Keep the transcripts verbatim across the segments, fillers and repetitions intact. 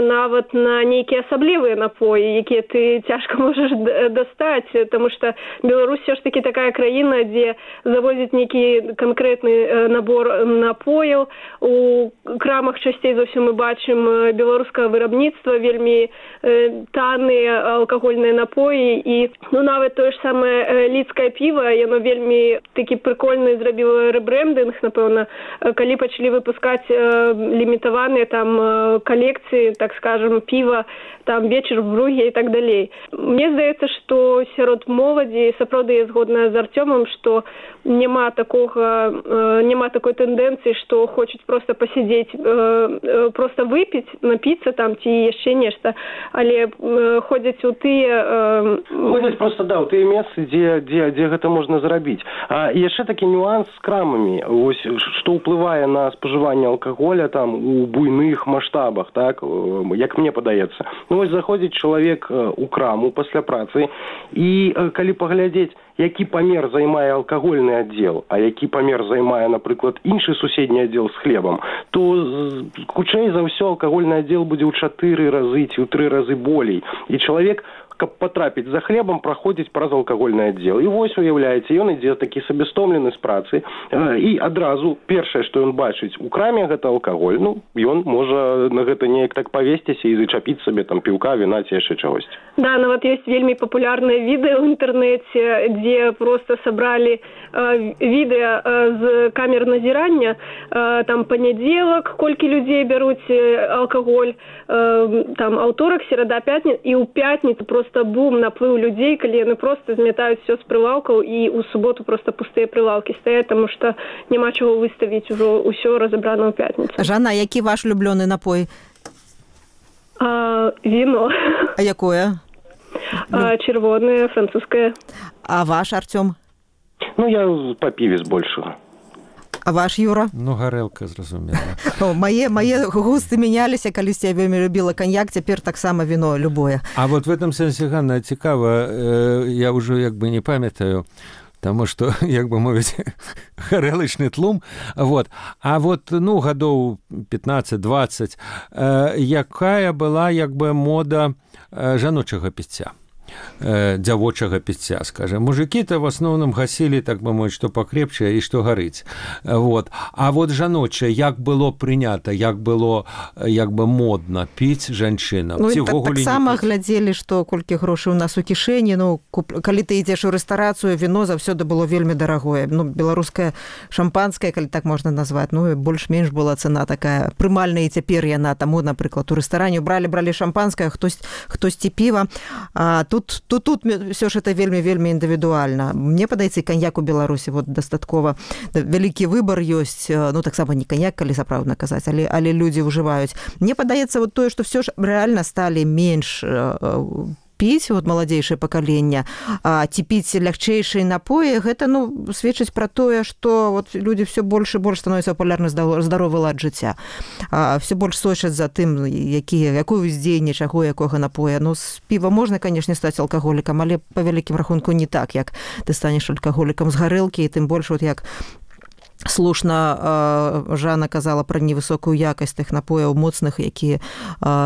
нават на нейкія асаблівыя напоі, якія ты цяжка можаш дастаць, таму што Беларусь все ж таки такая краіна, дзе завозяць нейкі канкрэтны набор напояў. У крамах часцей за ўсё мы бачым беларускага вырабніцтва, вельмі танныя алкагольныя напоі, і ну нават тое ж самае лідскае піва, яно вельмі такі прыкольны зрабіла рэбрэндынг, напэўна, калі пачалі выпускаць лімітаваныя там калекцыі, так скажем, піва, там вечер в Бруге і так далей. Мне здаецца, што сярод моладзі сапраўды я згодная з Артёмам, што няма такога, няма такой тэндэнцыі, што хочуць проста пасядзець, проста выпіць, напіцца там ці яшчэ нешта, але ходзяць у тыя... Ходзяць проста, да, у тыя месцы, дзе, дзе, дзе гэта можна зрабіць. А яшчэ такі нюанс з крамамі, ось, што ўплывае на спажыванне алкаголя там у буйных маштабах, так, як мне падаецца. Ну, вось заходзіць чалавек у краму пасля працы, і калі паглядзець, які памер займае алкагольны аддзел, а які памер займае, напрыклад, іншы суседні аддзел з хлебам, то хутчэй за ўсё алкагольны аддзел будзе ў чатыры разы ці ў тры разы болей. І чалавек, каб патрапіць за хлебам, праходзіць праз алкагольны аддзел. І вось, уяўляеце, ён ідзе такі сабестомлены з працы, і адразу першае, што ён бачыць у краме, гэта алкаголь. Ну, ён можа на гэта неяк так павесціся і зачапіць сабе там піўка, віна ці яшчэ чагось. Да, нават ёсць вельмі папулярныя відэа ў інтэрнэце, дзе просто сабралі э, відэа э, з камер назірання, э, там панядзелак, колькі людзей бяруць алкаголь, э, там аўторак, серада, пятніца, і ў пятніцу просто бум, наплыў людзей, калі яны проста змятаюць все з прылаўкаў, і ў суботу просто пустыя прылаўкі стаяць, таму што няма чаго выставіць, ужо ўсё разабрана ў пятніцу. Жанна, які ваш улюблёны напой? А, віно. А якое? А, чырвонае, французскае. А ваш, Артём? Ну, я па піве збольшага. А ваш, Юра? Ну, гарэлка, зразумела. О, мае, мае густы мяняліся, калісьці я вельмі любіла каньяк, цяпер таксама віно любое. А вот в этом сэнсе, Ганна, цікава, э, я ўжо як бы не памятаю, таму што, як бы мовіць, гарэлачны тлум. Вот. А вот, ну, гадоў пятнаццаць-дваццаць, э, якая была, як бы, мода э, жаночага піцця? дзявочага піцця, скажем. Мужики-то в основном гасілі, так бы мовіць, што пакрепчае і што гарыць. Вот. А вот жаночае, як было прынята, як было, як бы модна піць жанчынам? Ну, так, так сама глядзелі, што колькі грошай у нас у кішэні, ну, куп... калі ты ідзеш у рэстарацыю, віно заўсёды было вельмі дарагое. Ну, беларускае шампанскае, калі так можна назваць, ну, больш-менш была цана такая прымальная, і цяпер яна, таму, напрыклад, у рэстаране бралі, бралі шампанскае, хтось, хтосьці піва, а тут Тут, тут, тут все ж это вельмі-вельмі індывідуальна. Мне падаецца, каньяк у Беларусі вот дастаткова вялікі выбар ёсць, ну таксама не каньяк, калі сапраўдна казаць, але, але людзі ўжываюць. Мне падаецца вот тое, што все ж рэальна сталі менш піць, вот маладзейшае пакаленне, а ці піць лягчэйшыя напоі, гэта, ну, сведчыць пра тое, што вот людзі все больш і больш становяцца папулярны здаровы лад жыцця. А все больш сочаць за тым, які, якое ўздзеянне чаго, якога напоя. Ну, з піва можна, канешне, стаць алкаголікам, але па вялікім рахунку не так, як ты станеш алкаголікам з гарэлкі, і тым больш, вот як слушна Жанна казала пра невысокую якасць тых напояў моцных, якія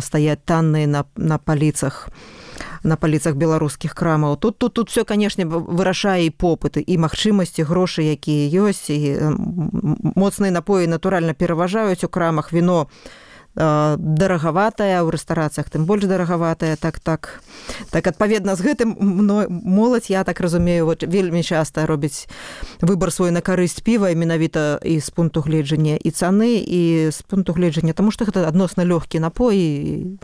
стаяць танныя на, на паліцах на паліцах беларускіх крамаў. Тут, тут, тут все, канешне, вырашае і попыт, і магчымасці, грошы, якія ёсць, і моцныя напоі, натуральна, пераважаюць у крамах. Віно дарагаватая, у рэстарацыях тым больш дарагаватая, так, так. Так, адпаведна з гэтым моладзь, я так разумею, вот, вельмі часта робіць выбар свой на карысць піва, менавіта і з пункту гледжання і цаны, і з пункту гледжання, таму што гэта адносна лёгкі напой, і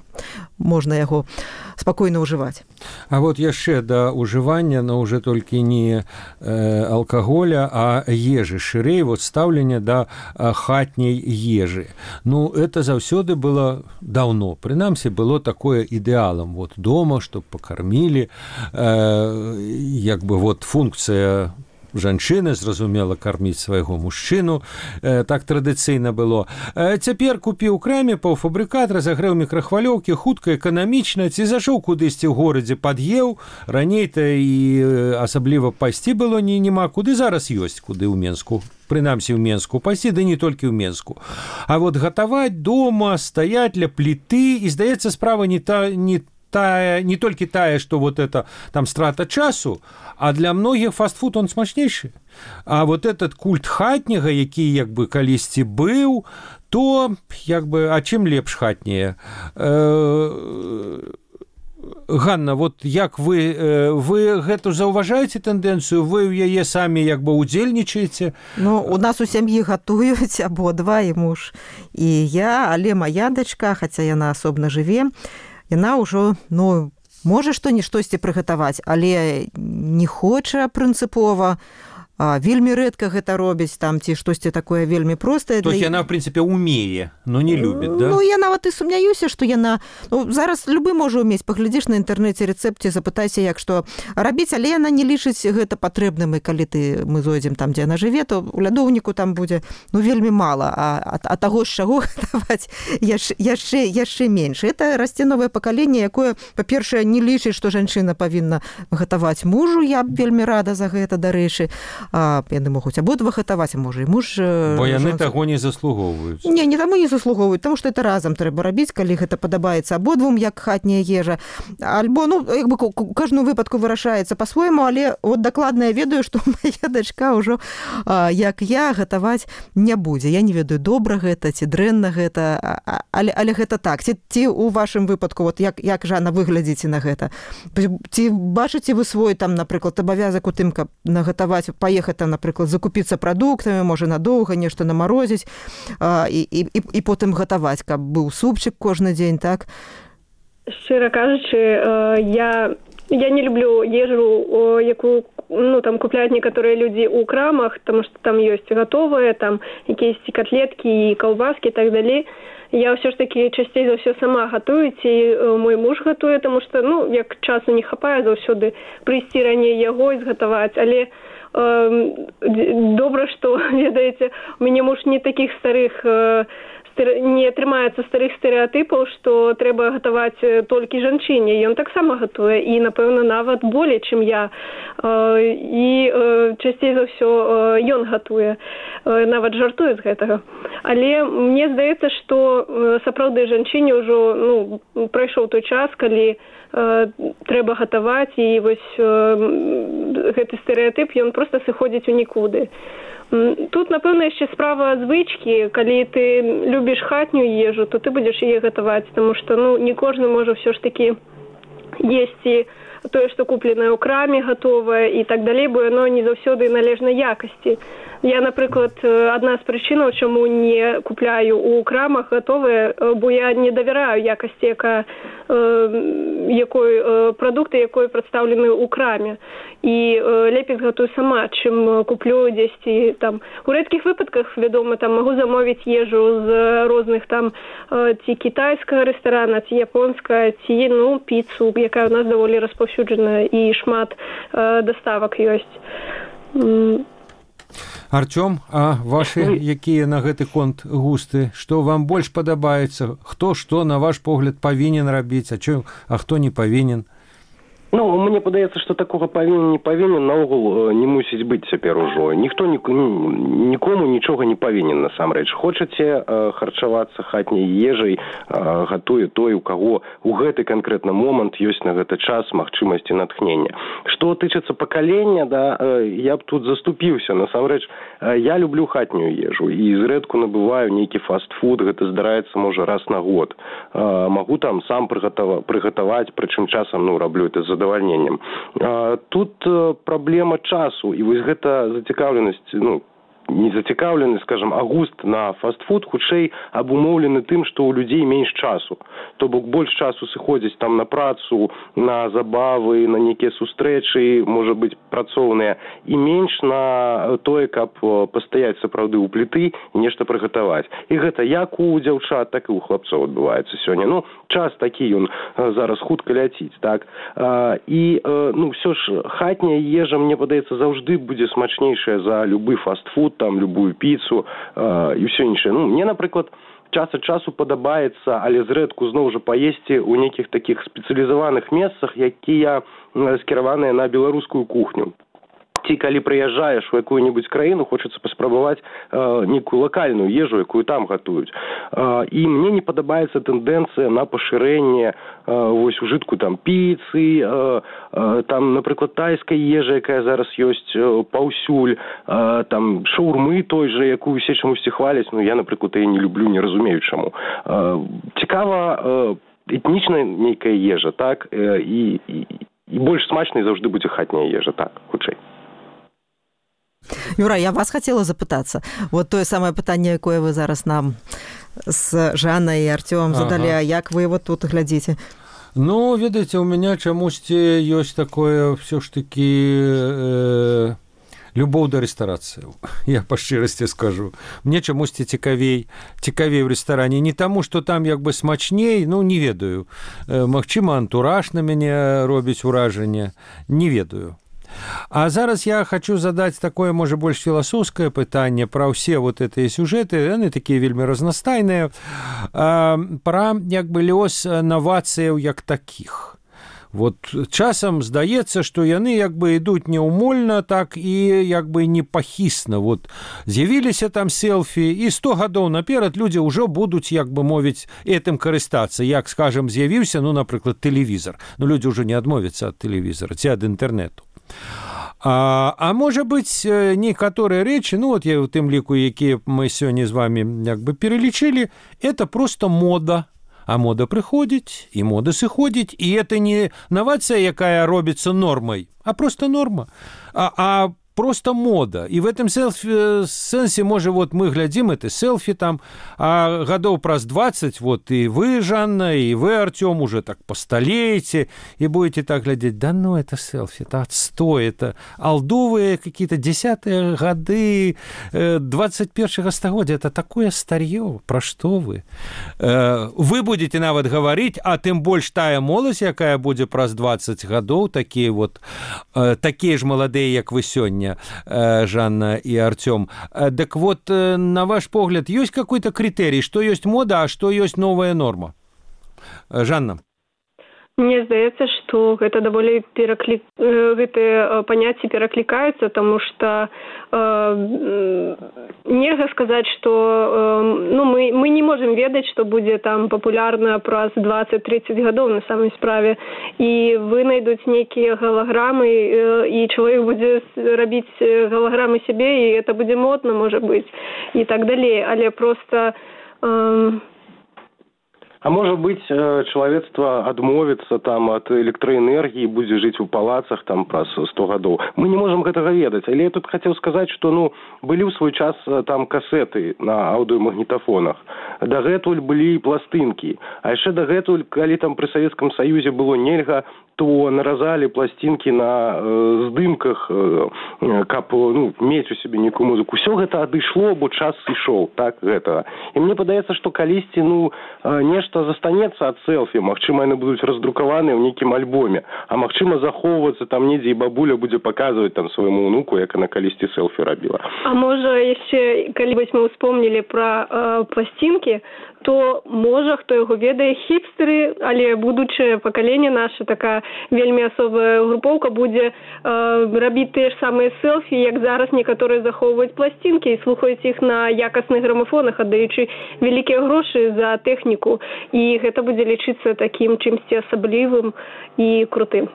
можна яго спакойна ўжываць. А вот яшчэ да ўжывання, но уже толькі не э, алкаголя, а ежы, шырэй, вот стаўленне да хатняй ежы. Ну, это заўсёды было даўно. Прынамсі, было такое ідэалам. Вот дома, чтоб пакармілі, э, як бы вот функцыя жанчына, зразумела, карміць свайго мужчыну, так традыцыйна было. Цяпер купіў у краме паўфабрыкат, разагрэў мікрахвалёўкі, хутка, эканамічна, ці зашоў кудысьці ў горадзе, пад'еў, раней-то і асабліва пайсці было не няма, куды зараз ёсць, куды ў Менску. Прынамсі ў Менску пайсці, ды не толькі ў Менску. А вот гатаваць дома, стаяць ля пліты, і, здаецца, справа не та, не тая, не толькі тая, што вот это там страта часу, а для многіх фастфуд он смачнейшы. А вот этот культ хатняга, які як бы калісьці быў, то як бы, а чым лепш хатняе? Ганна, вот як вы, вы гэту заўважаеце тэндэнцыю, вы ў яе самі як бы удзельнічаеце? Ну, у нас у сям'і гатуюць абодва, і муж, і я, але моя дачка, хаця яна асобна жыве, яна ўжо, ну, можа што-ні штосьці прыгатаваць, але не хоча прынцыпова, а, вельмі рэдка гэта робіць, там, ці штосьці такое вельмі простае. То есть для... яна, в прынцыпе, умее, но не любіць, да? Ну, я нават і сумняюся, што яна... Ну, зараз любы можа ўмець, паглядзіш на інтэрнэце рэцэпце, запытайся, як што рабіць, але яна не лічыць гэта патрэбным, і калі ты, мы зойдзем там, дзе яна жыве, то у лядоўніку там будзе, ну, вельмі мала, а, а, а таго, з чаго гатаваць яшчэ, яшчэ, яшчэ менш. Это расце новае пакаленне, якое, па-першае, не лічыць, што жанчына павінна гатаваць мужу, я б вельмі рада за гэта, дарэчы. А, яны могуць абодва гатаваць, а можа і муж... Бо яны жонцы... таго не заслугоўваюць. Не, не таму не заслугоўваюць, таму што это разам трэба рабіць, калі гэта падабаецца абодвум, як хатняя ежа. Альбо, ну, як бы, кожную выпадку вырашаецца па-свойму, але вот дакладна я ведаю, што моя дачка ўжо, а, як я, гатаваць не будзе. Я не ведаю, добра гэта, ці дрэнна гэта, але, але гэта так. Ці, ці у вашым выпадку, вот як, як Жанна, выглядзіце на гэта? Ці бачыце вы свой, там, напрыклад, абавязак у тым, каб нагатаваць, ехаць там, напрыклад, закупіцца прадуктамі, можа надоўга нешта намарозіць, а, і, і, і потым гатаваць, каб быў супчык кожны дзень, так? Шчыра кажучы, я, я не люблю ежу, якую, ну, там купляюць некаторыя людзі ў крамах, таму што там ёсць гатовыя, там якісь катлеткі і каўбаскі і так далей. Я ўсё ж такі часцей за ўсё сама гатую, ці мой муж гатуе, таму што, ну, як часу не хапае заўсёды прыйсці раней яго і згатаваць, але добра, што, ведаеце, у мяне муж не такіх старых, не трымаецца старых стэрэатыпаў, што трэба гатаваць толькі жанчыне. Ён таксама гатуе, і, напэўна, нават болей, чым я. І часцей за ўсё ён гатуе, нават жартуе з гэтага. Але мне здаецца, што сапраўды жанчыне ўжо, ну, прайшоў той час, калі трэба гатаваць, і вось гэты стэрэатып, ён проста сыходзіць у нікуды. Тут, напэўна, яшчэ справа звычкі. Калі ты любіш хатнюю ежу, то ты будзеш яе гатаваць, таму што, ну, не кожны можа ўсё ж такі есці тое, што купленае ў краме, гатовае і так далей, бо яно не заўсёды належнай якасці. Я, напрыклад, адна з прычынаў, чаму не купляю ў крамах гатовае, бо я не давяраю якасці, яка, якой прадукты, якой прадстаўлены ў краме. І лепей згатую сама, чым куплю дзесьці там. У рэдкіх выпадках, вядома, там магу замовіць ежу з розных там ці кітайскага рэстарана, ці японская, ці, ну, піцу, якая у нас даволі распаўсюджаная, і шмат даставак ёсць. Артём, а вашы якія на гэты конт густы? Што вам больш падабаецца? Хто што, на ваш погляд, павінен рабіць, а, чё, а хто не павінен? Ну, мне падаецца, што такога павінен, не павінен, наогул не мусіць быць цяпер ужо. Ніхто ні, нікому нічога не павінен, насамрэч. Хочаце э, харчавацца хатняй ежай, э, гатуе той, у каго у гэты канкрэтны момант ёсць на гэты час магчымасці натхнення. Што тычыцца пакалення, да, э, я б тут заступіўся. Насамрэч, э, я люблю хатнюю ежу і зрэдку набываю нейкі фастфуд, гэта здараецца, можа, раз на год. Э, магу там сам прыгатава, прыгатаваць, прычым часам, ну, раблю это з задавальненнем. Тут праблема часу, і вось гэта зацікаўленасць, ну, не зацікаўлены, скажем, агуст на фастфуд хутчэй абумоўлены тым, што ў людзей менш часу. То бок больш часу сыходзіць там на працу, на забавы, на нейкія сустрэчы, можа быць, працоўныя, і менш на тое, каб пастаяць сапраўды ў пліты і нешта прыгатаваць. І гэта як у дзяўчат, так і ў хлапцоў адбываецца сёння. Ну, час такі ён зараз хутка ляціць, так? І, ну, все ж, хатняя ежа, мне падаецца, заўжды будзе смачнейшая за любы фастфуд, там, любую піцу і ўсё іншае. Ну, мне, напрыклад, час ад часу падабаецца, але зрэдку зноў жа паесці ў нейкіх такіх спецыялізаваных месцах, якія скіраваныя на беларускую кухню. Ці калі прыязджаеш у якую-небудзь краіну, хочацца паспрабаваць э, нейкую лакальную ежу, якую там гатуюць. Э, і мне не падабаецца тэндэнцыя на пашырэнне э, вось ужытку там піцы, э, э, там, напрыклад, тайскай ежы, якая зараз ёсць э, паўсюль, э, там шаурмы той жа, якую усе чамусьці хваляць, ну я, напрыклад, яе не люблю, не разумею чаму. Э, цікава э, этнічная нейкая ежа, так, э, і, і, і больш смачнай заўжды будзе хатняя ежа, так, хутчэй. Юра, я вас хотела запытацца. Вот тое самае пытанне, якое вы зараз нам з Жаннай і Артёмам задалі, ага. А як вы вот тут глядзіце? Ну, ведаеце, у меня чамусьці ёсць такое все ж таки э, любоў да рэстарацыяў. Я па шчырасці скажу. Мне чамусьці цікавей, цікавей у рэстаране. Не таму, што там як бы смачней, ну, не ведаю. Э, магчыма, антураж на мяне робіць уражанне. Не ведаю. А зараз я хочу задаць такое, можа, больш філасофскае пытанне пра ўсе вот гэтыя сюжэты, яны такія вельмі разнастайныя, пра як бы лёс навацыяў як такіх. Вот часам здаецца, што яны як бы ідуць няўмольна, так і як бы непахісна. Вот з'явіліся там селфі, і сто гадоў наперад людзі ўжо будуць, як бы мовіць, этым карыстацца. Як, скажем, з'явіўся, ну, напрыклад, тэлевізор. Ну, людзі ўжо не адмовяцца ад тэлевізора ці ад інтэрнэту. А, а можа быць, некаторыя рэчы, ну, вот я ў тым ліку, якія мы сёння з вами як бы пералічылі, это просто мода. А мода прыходзіць, і мода сыходзіць, і это не навацыя, якая робіцца нормай, а просто норма. А, а просто мода. И в этом селфи, сенсе, может, вот мы глядим это селфи там, а годов праз двадцать, вот и вы, Жанна, и вы, Артём, уже так постолеете, и будете так глядеть, да ну, это селфи, это отстой, это алдовые какие-то десятые годы двадцать первого стагоддзя, это такое старье, про что вы? Вы будете нават говорить, а тем больше тая молодь, якая будет праз двадцать годов, такие вот, такие же молодые, как вы сегодня, Жанна и Артём. Так вот, на ваш погляд, есть какой-то критерий, что есть мода, а что есть новая норма? Жанна. Мне здаецца, што гэта даволі пераклі... гэтыя паняцці пераклікаюцца, таму што э, нельга сказаць, што э, ну, мы, мы не можам ведаць, што будзе там папулярна праз двадцать-тридцать гадоў на самай справе. І вынайдуць нейкія галаграмы, э, і чалавек будзе рабіць галаграмы сябе, і это будзе модна, можа быць, і так далей. Але проста... Э, А может быть, человечество адмовіцца там от электроэнергии, будзе жыць у палацах там праз сто гадоў. Мы не можем гэтага ведаць. Але я тут хотел сказать, что ну былі ў свой час там касеты на аўдыомагнітафонах. Дагэтуль былі пластынкі. А яшчэ дагэтуль, калі там пры Савецкам Саюзе было нельга, то наразалі пластинки на э, здымках, э, каб ну, мець у себе нейкую музыку. Все гэта адышло, бо час ішоў, так, гэтага. І мне падаецца, што калісьці, ну, э, нешта застанецца ад селфі, магчыма, яны будуць раздрукаваныя ў нейкім альбоме, а магчыма, захоўвацца там недзе, і бабуля будзе паказваць там свайму ўнуку, як она калісьці селфі рабіла. А можа, яшчэ, калі вось мы успомнілі пра э, пластинкі, то можа, хто яго ведае, хіпстеры, але будучае пакаленне наша, такая вельмі асобая групоўка будзе э, рабіць тыя ж самыя селфі, як зараз некаторыя захоўваюць пластинкі і слухаюць іх на якасных грамафонах, аддаючы вялікія грошы за тэхніку. І гэта будзе лічыцца такім чымсьці асаблівым і крутым.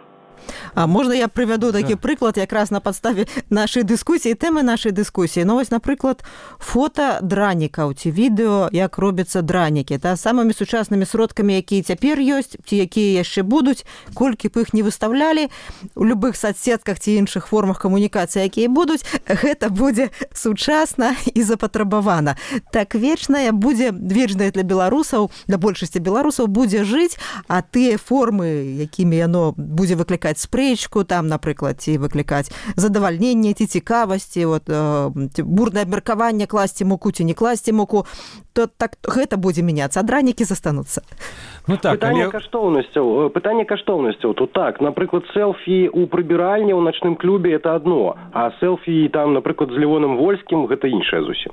А можна я прывяду такі да. прыклад якраз на падставе нашай дыскусіі, тэмы нашай дыскусіі. Ну, вось, напрыклад, фота дранікаў ці відэо, як робяцца дранікі. Та, самымі сучаснымі сродкамі, якія цяпер ёсць, ці якія яшчэ будуць, колькі б іх не выставлялі, у любых соцсетках ці іншых формах камунікацыі, якія будуць, гэта будзе сучасна і запатрабавана. Так вечная будзе, вечная для беларусаў, для большасці беларусаў будзе жыць, а тыя формы, якімі яно будзе выклікаць спрэчку, там, напрыклад, ці выклікаць задавальненне, ці цікавасці, вот, э, бурнае абмеркаванне, класці муку ці не класці муку, то так гэта будзе мяняцца, а дранікі застануцца. Ну, так, пытанне але... каштоўнасцяў, пытанне каштоўнасцяў, тут так, напрыклад, селфі у прыбіральні ў начным клубе это одно, а селфі там, напрыклад, з Левоном Вольскім гэта іншае зусім.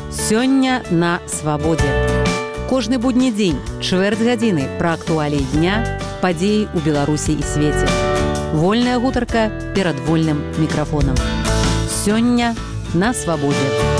Сёння на свабодзе. Кожны будні дзень, чвэрць гадзіны пра актуаліі дня, падзеі ў Беларусі і свеце. Вольная гутарка перад вольным мікрафонам. Сёння на свабодзе.